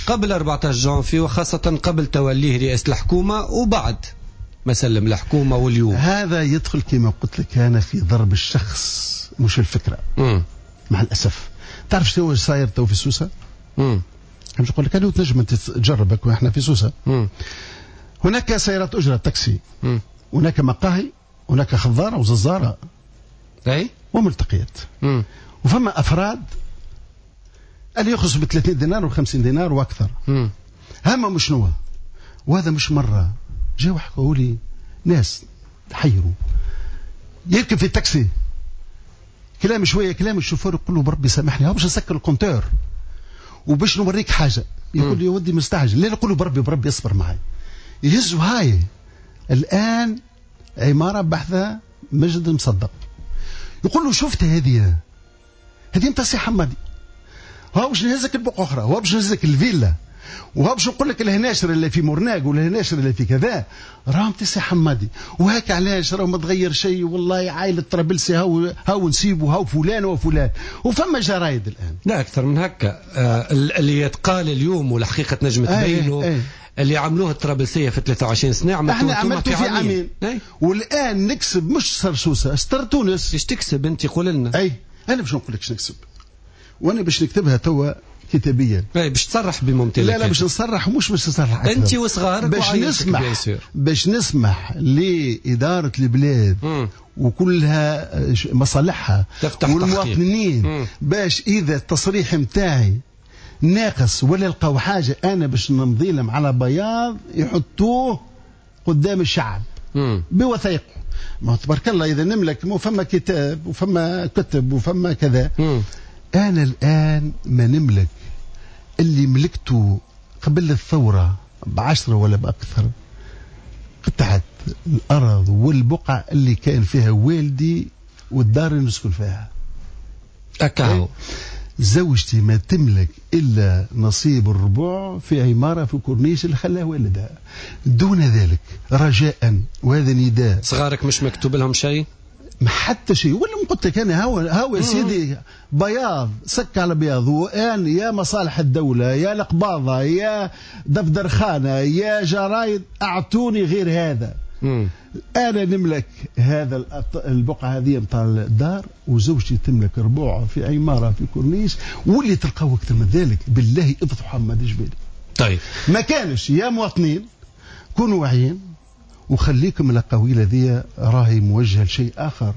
قبل 14 جانفي وخاصة قبل توليه رئاسة الحكومة وبعد ما سلم الحكومة واليوم. هذا يدخل كما قلت لك أنا في ضرب الشخص مش الفكرة. مع الأسف. تعرف شنو صاير تو في سوسة؟ باش نقول لك أنا تنجم أنت تجربك وإحنا في سوسة. هناك سيارات أجرة تاكسي. هناك مقاهي، هناك خضارة وززارة. أي؟ وملتقيات. وفما أفراد اللي يخلصوا ب 30 دينار و50 دينار وأكثر. همهم شنو؟ وهذا مش مرة جاوا حكوا لي ناس تحيروا. يركب في التاكسي كلام شوية كلام الشوفور يقول له بربي سامحني باش نسكر ال compteur وباش نوريك حاجة. يقول لي يا ودي مستعجل. لا نقول له بربي بربي اصبر معي. يهزوا هاي الآن عمارة بحثة مجد مصدق. يقول له شفت هذه انت سي حمادي، هاو باش نهزك البقعة أخرى، هاو باش نهزك الفيلا، وهاو باش نقول لك الهناشر اللي في مرناق والهناشر اللي في كذا، راهم تسي حمادي. وهاك علاش راهم ما تغير شيء، والله عائلة طرابلسي هاو نسيبو هاو فلان وفلان. وفما جرايد الآن لا أكثر من هكا. اللي يتقال اليوم والحقيقة تنجم تبينه اللي عملوه الطرابلسية في 23 سنة عملتوه احنا عملتوه في عامين. والآن نكسب مش صار سوسة، ستر تونس. ايش تكسب أنت؟ قول لنا. أي أنا باش نقول لك ايش نكسب، وأنا باش نكتبها توا كتابيا. اي باش تصرح بممتلكاتك. لا لا باش نصرح، مش باش نصرح انت وصغارك، باش نسمح، باش نسمح لإدارة البلاد وكلها مصالحها والمواطنين، باش إذا التصريح متاعي ناقص ولا لقاو حاجة أنا باش نمضي لهم على بياض يحطوه قدام الشعب بوثائقه. ما تبارك الله إذا نملك مو فما كتاب وفما كتب وفما كذا. أنا الآن ما نملك اللي ملكته قبل الثورة ب10 ولا بأكثر، قطعة الأرض والبقعة اللي كان فيها والدي والدار اللي نسكن فيها. أكاو. زوجتي ما تملك إلا نصيب الربع في عمارة في كورنيش اللي خلاه والدها. دون ذلك رجاء، وهذا نداء. صغارك مش مكتوب لهم شيء؟ ما حتى شيء. ولا قلت لك انا هاو يا سيدي بياض سك على بياض. وان يا مصالح الدولة يا القباضه يا دفتر خانه يا جرايد اعطوني غير هذا. انا نملك هذا البقعة هذه نتاع الدار، وزوجتي تملك ربوع في عمارة في كورنيش، واللي تلقاو اكثر من ذلك بالله افضحوا حماد جبالي. طيب ما كانش يا مواطنين كونوا واعيين وخليكم الاقاويل هذه راهي موجهة لشيء اخر.